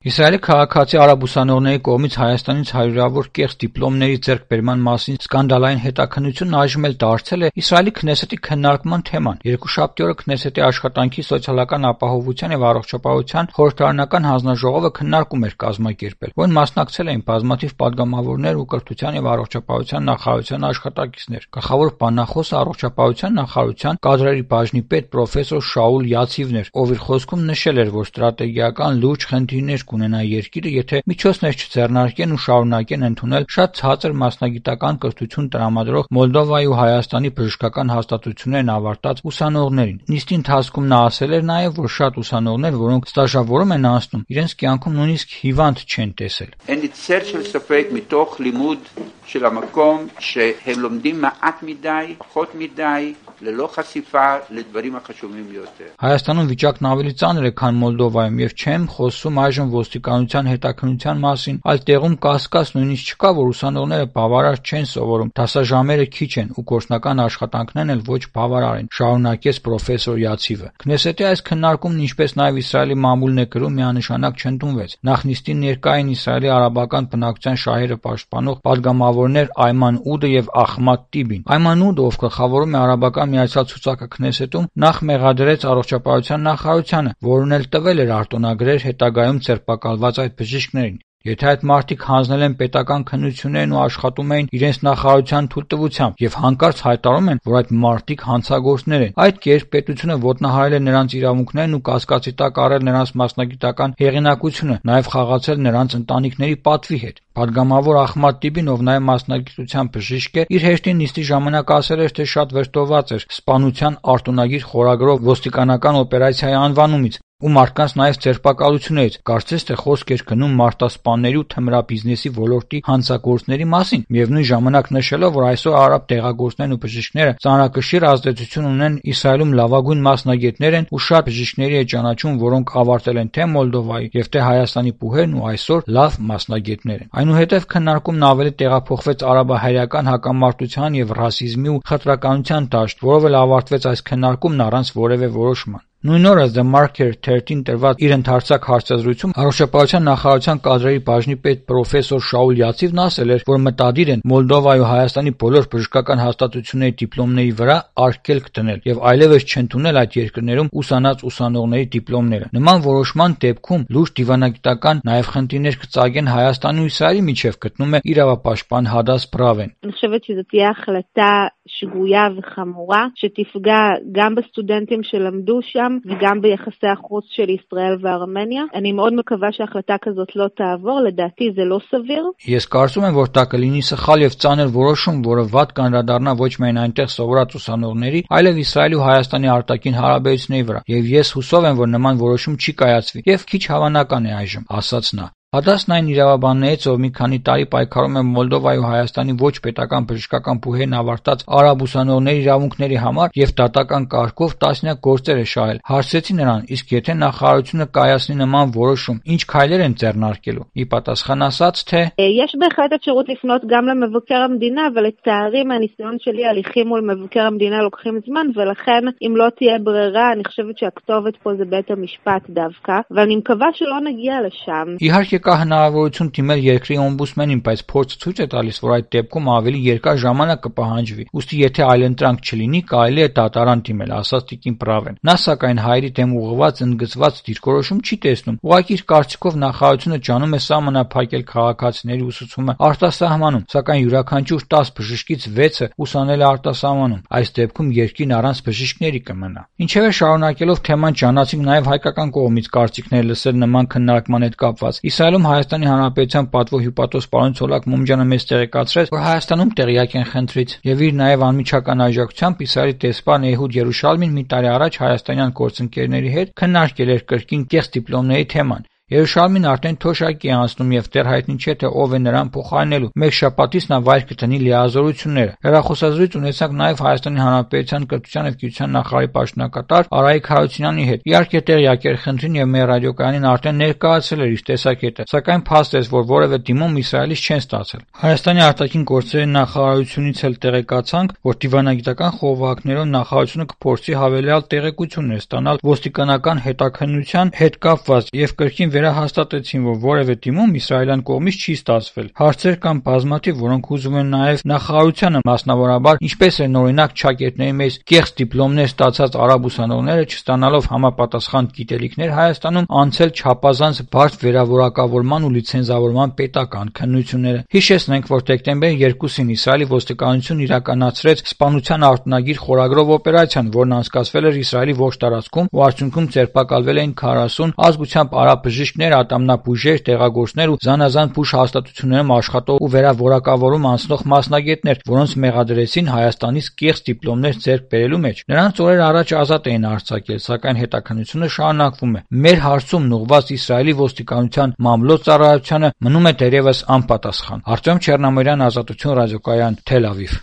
Իսրայելի քաղաքացի արաբ ուսանողների կողմից Հայաստանից հարյուրավոր կեղծ դիպլոմների ձեռքբերման մասին սկանդալային հետաքննությունն այժմ էլ դարձել է Իսրայելի Քնեսեթի քննարկման թեման։ Երկուշաբթի օրը Քնեսեթի աշխատանքի, սոցիալական ապահովության եւ առողջապահության խորհրդարանական հանձնաժողովը քննարկում էր կազմակերպել, որին մասնակցել էին բազմաթիվ падգամավորներ ու կրթության եւ առողջապահության նախարարության աշխատակիցներ։ Գլխավոր բանախոսը առողջապահության նախարարության կադրերի բաժնի պետ պրոֆեսոր Շաուլ Յացիվն էր, ով իր խոսքում նշել էր, որ ստրատեգիական լուրջ խնդիրներ կունենա երկիրը, եթե միջոցներ չձեռնարկեն ու շարունակեն ընդունել շատ ցածր մասնագիտական կրթություն տրամադրող Մոլդովայի ու Հայաստանի բժշկական հաստատություններն ավարտած ուսանողներին։ Նիստի ընթացքում նա ասել էր նաև, որ շատ ուսանողներ, որոնք ստաժավորում են անցնում, իրենց կյանքում նույնիսկ հիվանդ չեն տեսել։ אין לי צל של ספק מתוך לימוד של המקום שהם לומדים מעט מדי, פחות מדי, ללא חשיפה לדברים החשובים ביותר. Հայաստանում վիճակն ավելի ծանր է, քան Մոլդովայում, եւ չեմ խոսում այժմ ոստիկանության հետաքննության մասին, այլ տեղում կասկած նույնիսկ չկա, որ ուսանողները բավարար չեն սովորում, դասաժամերը քիչ են ու գործնական աշխատանքներն էլ ոչ բավարար են, շարունակեց պրոֆեսոր Յացիվը։ Քնեսեթի այս քննարկումն, ինչպես նաև Իսրայելի մամուլն է գրում, միանշանակ չընդունվեց։ Նախ նիստին ներկա էին Իսրայելի արաբական բնակչության շահերը պաշտպանող падգամավորներ Այման Ուդը եւ Ախմադ Տիբին։ Այման Ուդը, ով գլխավորում է արաբական միացյալ ցուցակը Քնեսեթում, նախ մեղադրեց առողջապահության նախարարությանը, որն էլ տվել էր արտոնագրեր հետագայում ձերբակալված այդ բժիշկներին։ Եթե այդ մարդիկ հանձնել են պետական քննություններն ու աշխատում էին իրենց նախարարության թույլտվությամբ եւ հանկարծ հայտարարում են, որ այդ մարդիկ հանցագործներ են, այդ կերպ պետությունը ոտնահարել է նրանց իրավունքներն ու կասկածի տակ առել նրանց մասնագիտական հեղինակությունը, նաեւ խաղացել նրանց ընտանիքների պատվի հետ։ Падգամավոր Ախմադ Տիբին, ով նաեւ մասնագիտությամբ բժիշկ է, իր հեշտին նիստի ժամանակ ասել էր, թե շատ վրդովված էր սպանության արտոնագիր խորագրով ոստիկանական օպերացիայի անվանումից ու մարդկանց նաև ձերբակալություններից, կարծես թե խոսք էր գնում մարտասպանների ու թմրաբիզնեսի ոլորտի հանցագործների մասին, միևնույն ժամանակ նշելով, որ այսօր արաբ տեղագործներն ու բժիշկները ծանրակշիռ ազդեցություն ունեն Իսրայելում լավագույն մասնագետներ են ու շատ բժիշկների է ճանաչում, որոնք ավարտել են թե Մոլդովայի եւ թե Հայաստանի բուհերն ու այսօր լավ մասնագետներ են։ Այնուհետև քննարկումն ավելի տեղափոխվեց արաբահայերական հակամարտության եւ ռասիզմի ու խտրականության դաշտ, որով էլ ավարտվեց այս քննարկումն առանց որևէ որոշման։ Նույն օրը The Marker 13 տրված իր ընդհանրացակ հարցազրույցում առողջապահության նախարարության կադրերի բաժնի պետ պրոֆեսոր Շաուլ Յացիվն ասել էր, որ մտադիր են Մոլդովայի ու Հայաստանի բոլոր բժշկական հաստատությունների դիպլոմների վրա արգելք դնել եւ այլևս չընդունել այդ երկրներում ուսանած ուսանողների դիպլոմները։ Նման որոշման դեպքում լուրջ դիվանագիտական նաեւ խնդիրներ կծագեն Հայաստանի ու Իսրայելի միջև, գտնում է իրավապաշտպան Հադաս Բրավեն։ אני חושבת שזו תהיה החלטה שגויה וחמורה שתפגע גם בסטודנטים שלמדו שם וגם ביחסי החוץ של ישראל וארמניה. אני מאוד מקווה שההחלטה כזאת לא תעבור, לדעתי זה לא סביר. Ես կարծում եմ, որ դա կլինի սխալ եւ ծանր որոշում, որը վատ կանդրադառնա ոչ միայն այնտեղ սովորած ուսանողների, այլև Իսրայելի ու Հայաստանի արտաքին հարաբերությունների վրա։ Եվ ես հուսով եմ, որ նման որոշում չի կայացվի եւ քիչ հավանական է այժմ, ասաց նա։ Հադասն այն իրավաբաններից, ով մի քանի տարի պայքարում է Մոլդովայի ու Հայաստանի ոչ պետական բժշկական բուհերն ավարտած արաբ ուսանողների իրավունքների համար եւ դատական կարգով տասնյակ գործեր է շահել, հարցրեցի նրան, իսկ եթե նախարարությունը կայացնի նման որոշում, ինչ քայլեր են ձեռնարկելու։ Ի պատասխան ասաց, թե יש בהחלט אפשרות לפנות גם למבקר המדינה, אבל לצערי מהניסיון שלי הליכים מול מבקר המדינה לוקחים זמן, ולכן אם לא תהיה ברירה, אני חושבת שהכתובת פה זה בית המשפט דווקא, ואני מקווה שלא נגיע לשם. Իհարկե կա հնարավորություն դիմել երկրի օմբուդսմենին, բայց փորձը ցույց է տալիս, որ այդ դեպքում ավելի երկար ժամանակ կպահանջվի։ Ուստի եթե այլընտրանք չլինի, կարելի է դատարան դիմել, ասաց Տիկին Բրավեն։ Նա սակայն հայերի դեմ ուղղված ընդգծված դիրքորոշում չի տեսնում։ Ուղղակի իր կարծիքով նախարարությունը ջանում է սահմանափակել քաղաքացիների ուսուցումը արտասահմանում, սակայն յուրաքանչյուր 10 բժշկից 6-ը ուսանել է արտասահմանում։ Այս դեպքում երկիրն առանց բժիշկների կմնա։ Ինչևէ, շարունակելով թեման, ճանաչենք նաև հայկական կողմից կարծիքներ լսել նման քննարկման հետ կապված։ Իսրայելում Հայաստանի Հանրապետության պատվո հյուպատոս պարոն Ցոլակ Մոմջյանը մեզ տեղեկացրեց, որ Հայաստանում տեղյակ են խնդրից եւ իր նաեւ անմիջական աջակցությամբ Իսրայելի դեսպան Էհուդ Երուշալմին մի տարի առաջ հայաստանյան գործընկերների հետ քննարկել էր կրկին կեղծ դիպլոմների թեման։ Երուշալմին արդեն թոշակի է անցնում եւ դեռ հայտնի չէ թե ով է նրան փոխարինելու։ Մեկ շաբաթից նա վայր կտնի լիազորությունները։ Հեռախոսազրույց ունեցանք նաեւ Հայաստանի Հանրապետության կրթության եւ գիտության նախարարի պաշտոնակատար Արայիկ Հարությունյանի հետ։ Իհարկե տեղյակ էր խնդրին եւ մեր ռադիոկայանին արդեն ներկայացել էր իր տեսակետը, սակայն փաստեց, որ որևէ դիմում Իսրայելից չեն ստացել։ Հայաստանի արտաքին գործերի նախարարությունից էլ տեղեկացանք, որ դիվանագիտական խողովակներով նախարարությունը կփորձի հավելյալ տեղեկություններ ստանալ ոստիկանական հետաքննության հետ կապված եւ կրկին վերահաստատեցին, որ որևէ դիմում իսրայելյան կողմից չի ստացվել։ Հարցեր կան բազմաթիվ, որոնք ուզում են նաև նախարարությանը, մասնավորաբար, ինչպես են օրինակ ճակերտների մեջ կեղծ դիպլոմներ ստացած արաբ ուսանողները, չստանալով համապատասխան գիտելիքներ Հայաստանում, անցել չափազանց բարդ վերավորակավորման ու լիցենզավորման պետական քննությունները։ Հիշեցնենք, որ դեկտեմբերի 2-ին Իսրայելի ոստիկանությունն իրականացրեց սպանության արտոնագիր խորագրով օպերացիան, որն անցկացվել էր Իսրայելի ողջ տարածքում ու արդյունքում ձերբակալվել էին 40 ազգությամբ արաբ բժիշկներ, ատամնաբույժեր, տեղագործներ ու զանազան բուժ հաստատություններում աշխատող ու վերավորակավորում անցնող մասնագետներ, որոնց մեղադրեցին Հայաստանից կեղծ դիպլոմներ ձեռք բերելու մեջ։ Նրանց օրեր առաջ ազատ էին արձակել, սակայն հետաքննությունը շարունակվում է։ Մեր հարցումն ուղղված Իսրայելի ոստիկանության մամլոյ ծառայությանը մնում է դեռևս անպատասխան։ Արտем Չեռնամիրյան, Ազատություն ռադիոկայան, Թել Ավիվ։